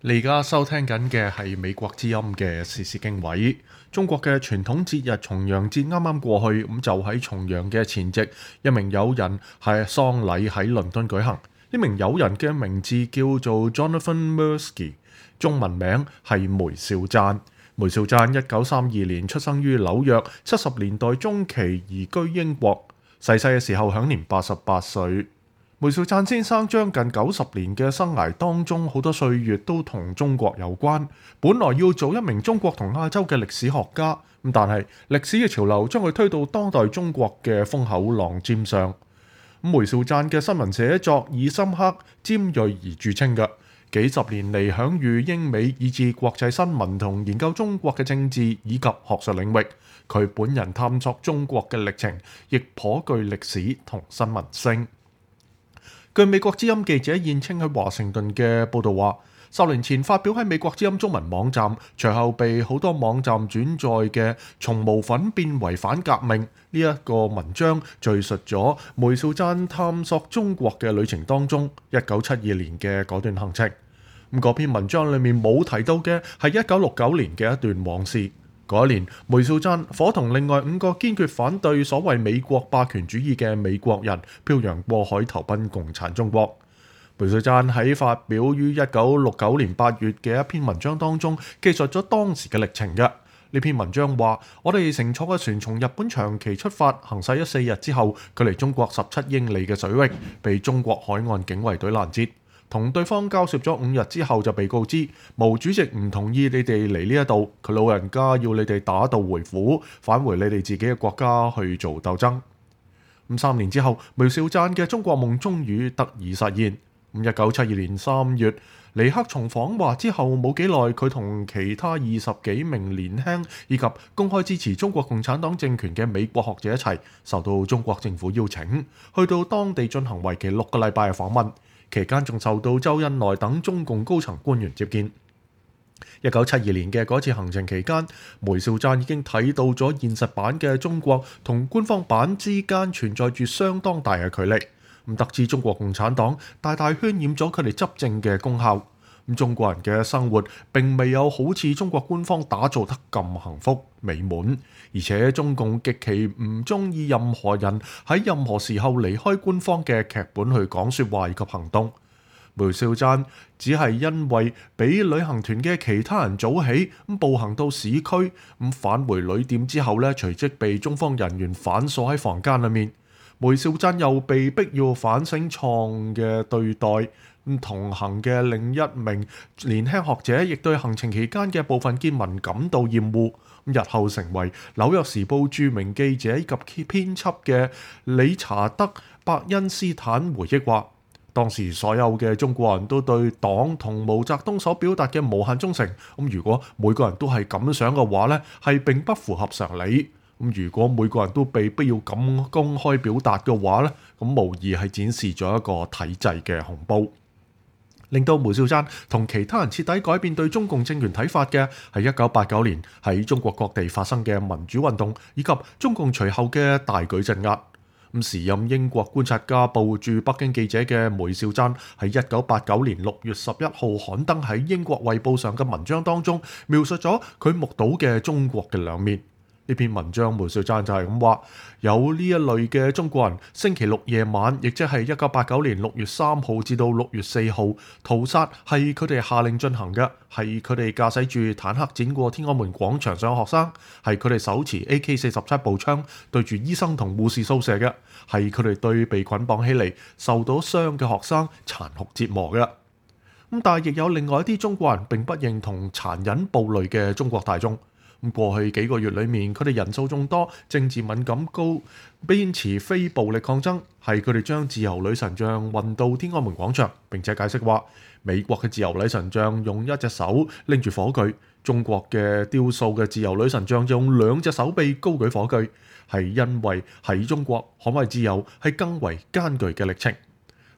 你而家收聽緊嘅係美國之音嘅時事經緯。中國嘅傳統節日重陽節啱啱過去，咁就喺重陽嘅前夕，一名友人係喪禮喺倫敦舉行。呢名友人嘅名字叫做 Jonathan Mirsky， 中文名係梅兆贊。梅兆贊1932年出生於紐約，70年代中期移居英國，逝世嘅時候享年88歲。梅兆贊先生將近90年嘅生涯當中，好多歲月都同中國有關。本來要做一名中國同亞洲嘅歷史學家，但係歷史嘅潮流將佢推到當代中國嘅風口浪尖上。梅兆贊嘅新聞寫作以深刻尖銳而著稱嘅，幾十年嚟享譽英美以至國際新聞同研究中國嘅政治以及學術領域。佢本人探索中國嘅歷程亦頗具歷史同新聞性。據美國之音記者燕青喺華盛頓嘅報導話，10年前發表喺美國之音中文網站，隨後被好多網站轉載嘅《從無粉變為反革命》呢一個文章，敘述咗梅兆贊探索中國嘅旅程當中1972年嘅嗰段行程。嗰篇文章裡面冇提到嘅係1969年嘅一段往事。嗰一年，梅兆贊夥同另外5個堅決反對所謂美國霸權主義嘅美國人漂洋過海投奔共產中國。梅兆贊喺發表於1969年8月嘅一篇文章當中，記述咗當時嘅歷程嘅。呢篇文章話：我哋乘坐嘅船從日本長崎出發，行駛咗4日之後，距離中國17英里嘅水域，被中國海岸警衛隊攔截。同對方交涉咗5日之後，就被告知毛主席唔同意你哋嚟呢一度，佢老人家要你哋打道回府，返回你哋自己嘅國家去做鬥爭。3年之後，梅兆贊嘅中國夢終於得以實現。1972年3月，尼克松訪華之後冇幾耐，佢同其他20幾名年輕以及公開支持中國共產黨政權嘅美國學者一齊，受到中國政府邀請，去到當地進行為期6個禮拜嘅訪問。期間仲受到周恩來等中共高層官員接見。1972年嘅嗰次行程期間，梅兆贊已經睇到咗現實版嘅中國同官方版之間存在住相當大嘅距離。得知中國共產黨大大渲染咗佢哋執政嘅功效。中國人嘅生活並未有好似中國官方打造得咁幸福美滿，而且中共極其唔中意任何人喺任何時候離開官方嘅劇本去講說話以及行動。梅兆贊只係因為比旅行團嘅其他人早起，步行到市區，返回旅店之後呢，隨即被中方人員反鎖喺房間裏面。梅兆贊又被逼要反省錯誤嘅對待。同行嘅另一名年輕學者亦對行程期間嘅部分見聞感到厭惡。日後成為紐約時報著名記者以及編輯嘅理查德·伯恩斯坦回憶話，當時所有嘅中國人都對黨同毛澤東所表達嘅無限忠誠。如果每個人都係咁想嘅話呢，係並不符合常理。如果每個人都被必要咁公開表達嘅話呢，無疑係展示咗一個體制嘅恐怖。令到梅兆贊同其他人徹底改變對中共政權睇法嘅係1989年喺中國各地發生嘅民主運動，以及中共隨後嘅大舉鎮壓。時任英國觀察家報駐北京記者嘅梅兆贊喺1989年6月11號刊登喺英國衛報上嘅文章當中，描述咗佢目睹嘅中國嘅兩面。呢篇文章梅兆贊就係咁話，有呢一類嘅中國人，星期六夜晚，亦即係1989年6月3號至到6月4號，屠殺係佢哋下令進行嘅，係佢哋駕駛住坦克剪過天安門廣場上嘅學生，係佢哋手持 AK-47步槍對住醫生同護士掃射嘅，係佢哋對被捆綁起嚟受到傷嘅學生殘酷折磨嘅。但係亦有另外一啲中國人並不認同殘忍暴戾嘅中國大眾。過去幾個月裏面，佢哋人數眾多，政治敏感高，堅持非暴力抗爭，係佢哋將自由女神像運到天安門廣場，並且解釋話，美國嘅自由女神像用一隻手拎住火炬，中國嘅雕塑嘅自由女神像用2隻手臂高舉火炬，係因為喺中國捍衛自由係更為艱巨嘅歷程。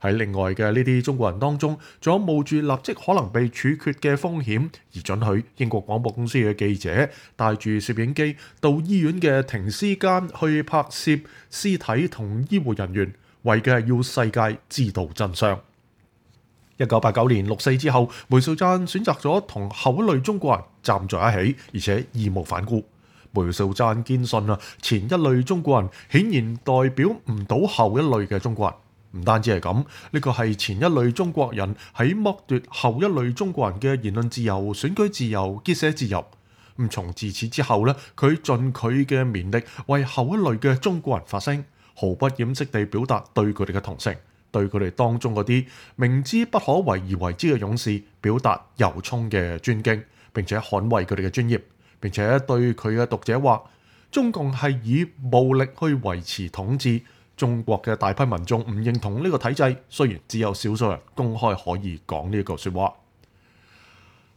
喺另外嘅呢啲中國人當中，仲有冒住立即可能被處決嘅風險而准許英國廣播公司嘅記者帶住攝影機到醫院嘅停屍間去拍攝屍體同醫護人員，為嘅係要世界知道真相。1989年六四之後，梅兆贊選擇咗同後一類中國人站在一起，而且義無反顧。梅兆贊堅信前一類中國人顯然代表唔到後一類嘅中國人。唔單止係咁，呢個係前一類中國人喺剝奪後一類中國人嘅言論自由、選舉自由、結社自由。從自此之後咧，佢盡佢嘅綿力為後一類嘅中國人發聲，毫不掩飾地表達對佢哋嘅同情，對佢哋當中嗰啲明知不可為而為之嘅勇士表達由衷嘅尊敬，並且捍衛佢哋嘅專業，並且對佢嘅讀者話：中共係以暴力去維持統治。中國嘅大批民眾唔認同呢個體制，雖然只有少數人公開可以講呢句説話。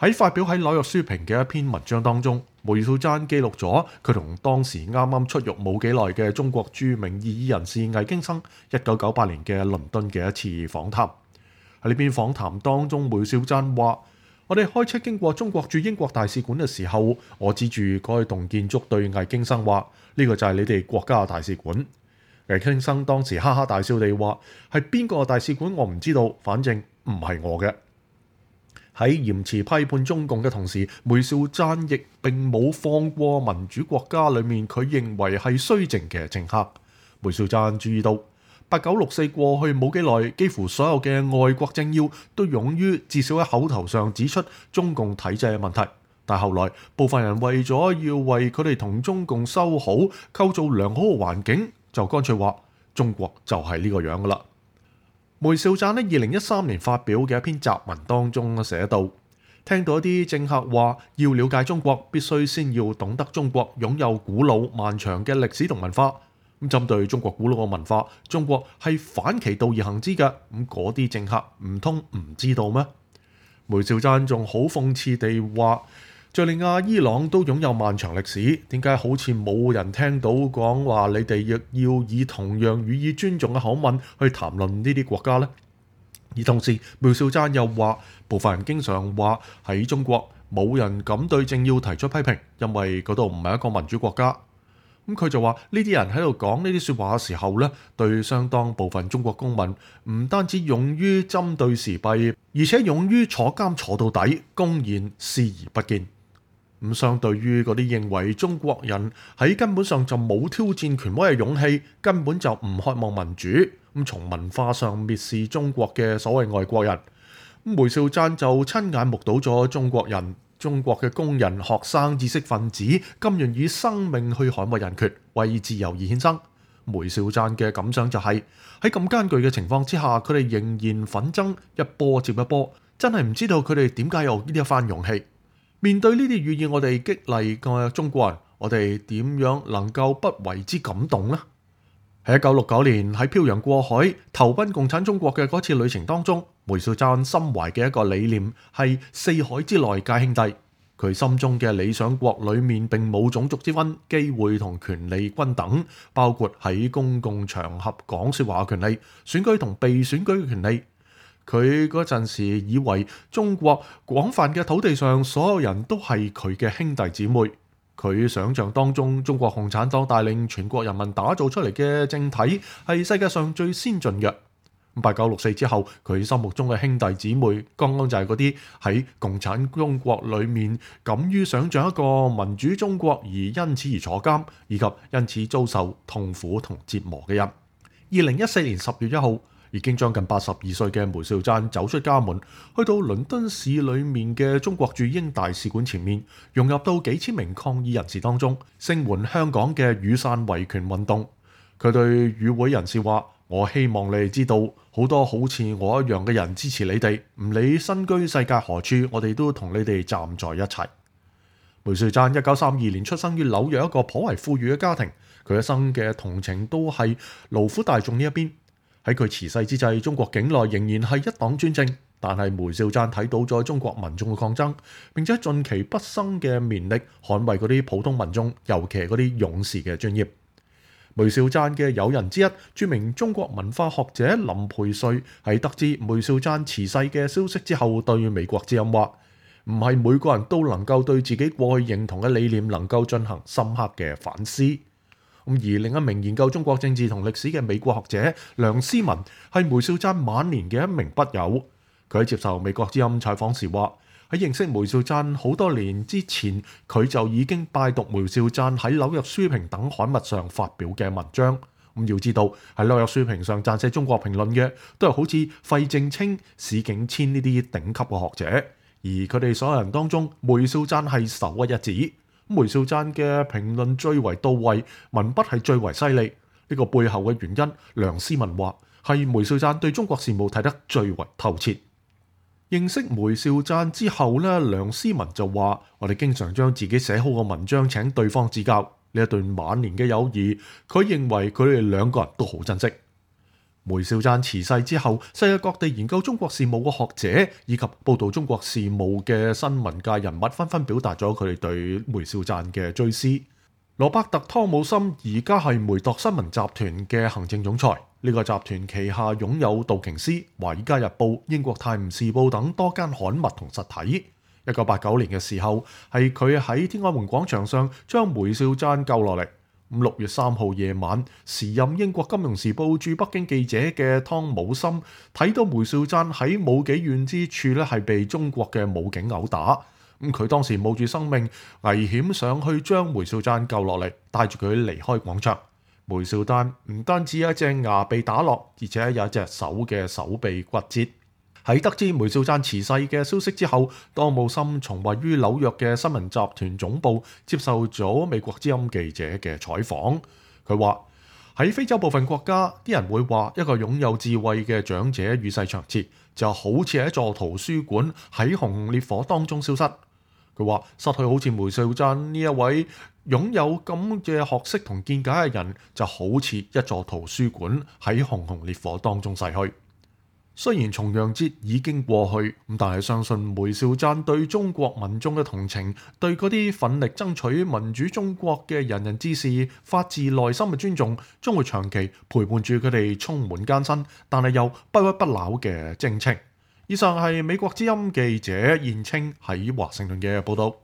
喺發表喺紐約書評嘅一篇文章當中，梅兆贊記錄咗佢同當時啱啱出獄冇幾耐嘅中國著名異議人士魏京生1998年嘅倫敦嘅一次訪談。喺呢篇訪談當中，梅兆贊話：我哋開車經過中國駐英國大使館嘅時候，我指住該棟建築對魏京生話：呢個就係你哋國家嘅大使館。魏京生當時哈哈大笑地話：係邊個大使館我唔知道，反正唔係我嘅。喺嚴詞批判中共嘅同時，梅兆贊亦並冇放過民主國家裏面佢認為係綏靖嘅政客。梅兆贊注意到8964過去冇幾耐，幾乎所有嘅外國政要都勇於至少喺口頭上指出中共體制嘅問題，但後來部分人為咗要為佢哋同中共修好、構造良好嘅環境，就乾脆話中國就係呢個樣噶啦。梅兆贊喺2013年發表嘅一篇雜文當中寫到：聽到一啲政客話要了解中國，必須先要懂得中國擁有古老漫長嘅歷史同文化。咁針對中國古老嘅文化，中國係反其道而行之嘅。咁嗰啲政客唔通唔知道咩？梅兆贊仲好諷刺地話：敍利亞、伊朗都擁有漫長歷史，點解好似冇人聽到講話你哋亦要以同樣予以尊重嘅口吻去談論呢啲國家呢？而同時，梅兆贊又話，部分人經常話喺中國冇人敢對政要提出批評，因為嗰度唔係一個民主國家。咁佢就話呢啲人喺度講呢啲説話嘅時候咧，對相當部分中國公民唔單止勇於針對時弊，而且勇於坐監坐到底，公然視而不見。咁相對於嗰啲認為中國人喺根本上就冇挑戰權威嘅勇氣，根本就唔渴望民主，咁從文化上蔑視中國嘅所謂外國人，梅兆贊就親眼目睹咗中國人、中國嘅工人、學生、知識分子甘願以生命去捍衛人權，為自由而獻身。梅兆贊嘅感想就係喺咁艱巨嘅情況之下，佢哋仍然奮爭一波接一波，真係唔知道佢哋點解有呢一番勇氣。面對呢啲予以我哋激勵嘅中國人，我哋點樣能夠不為之感動呢？喺1969年喺漂洋過海投奔共產中國嘅嗰次旅程當中，梅兆贊心懷嘅一個理念係四海之內皆兄弟。佢心中嘅理想國裏面並冇種族之分，機會同權利均等，包括喺公共場合講說話嘅權利、選舉同被選舉嘅權利。佢嗰陣時以為中國廣泛嘅土地上所有人都係佢嘅兄弟姊妹。佢想象當中中國共產黨帶領全國人民打造出嚟嘅政體係世界上最先進嘅。8964之後，佢心目中嘅兄弟姊妹剛剛就係嗰啲喺共產中國裏面敢於想象一個民主中國而因此而坐監，以及因此遭受痛苦同折磨嘅人。2014年10月1號，已經將近82歲嘅梅兆贊走出家門，去到倫敦市裏面嘅中國駐英大使館前面，融入到幾千名抗議人士當中，聲援香港嘅雨傘維權運動。佢對與會人士話：我希望你哋知道，好多好似我一樣嘅人支持你哋，唔理身居世界何處，我哋都同你哋站在一齊。梅兆贊1932年出生於紐約一個頗為富裕嘅家庭，佢一生嘅同情都係勞苦大眾呢一邊。喺佢辭世之際，中國境內仍然係一黨專政，但係梅兆贊睇到咗中國民眾嘅抗爭，並且盡其畢生嘅綿力捍衛嗰啲普通民眾，尤其係嗰啲勇士嘅專業。梅兆贊嘅友人之一，著名中國文化學者林培瑞喺得知梅兆贊辭世嘅消息之後，對美國之音話：唔係每個人都能夠對自己過去認同嘅理念能夠進行深刻嘅反思。而另一名研究中國政治同歷史嘅美國學者梁思文係梅兆贊晚年嘅一名筆友。佢喺接受美國之音採訪時話，喺認識梅兆贊好多年之前，佢就已經拜讀梅兆贊喺紐約書評等刊物上發表嘅文章。要知道喺紐約書評上撰寫中國評論嘅，都係好似費正清、史景遷呢啲頂級嘅學者，而佢哋所有人當中，梅兆贊係首屈一指。梅兆贊嘅評論最為到位，文筆係最為犀利。呢個背後嘅原因，梁思文話係梅兆贊對中國事務睇得最為透徹。認識梅兆贊之後呢，梁思文就話：我哋經常將自己寫好嘅文章請對方指教。呢一段晚年嘅友誼，佢認為佢哋兩個人都好珍惜。梅兆贊辭世之後，世界各地研究中國事務嘅學者以及報道中國事務嘅新聞界人物紛紛表達咗佢哋對梅兆贊嘅追思。羅伯特·湯姆森而家係梅鐸新聞集團嘅行政總裁，呢個集團旗下擁有道瓊斯、華爾街日報、英國泰晤士報等多間刊物同實體。1989年嘅時候，係佢喺天安門廣場上將梅兆贊救落嚟。6月3號夜晚，時任英國金融時報駐北京記者嘅湯姆森睇到梅兆贊喺冇幾遠之處咧，係被中國嘅武警毆打。佢當時冒住生命危險上去將梅兆贊救落嚟，帶住佢離開廣場。梅兆贊唔單止有一隻牙被打落，而且有一隻手嘅手臂骨折。喺得知梅兆贊辭世嘅消息之後，湯姆森從位於紐約嘅新聞集團總部接受咗美國之音記者嘅採訪。佢話喺非洲部分國家，啲人會話一個擁有智慧嘅長者與世長辭，就好似係一座圖書館喺熊熊烈火當中消失。佢話失去好似梅兆贊呢一位擁有咁嘅學識同見解嘅人，就好似一座圖書館喺熊熊烈火當中逝去。雖然重陽節已經過去，但係相信梅兆贊對中國民眾嘅同情，對嗰啲奮力爭取民主中國嘅仁人志士發自內心嘅尊重，將會長期陪伴住佢哋充滿艱辛，但係又不屈不撓嘅征程。以上係美國之音記者燕青喺華盛頓嘅報道。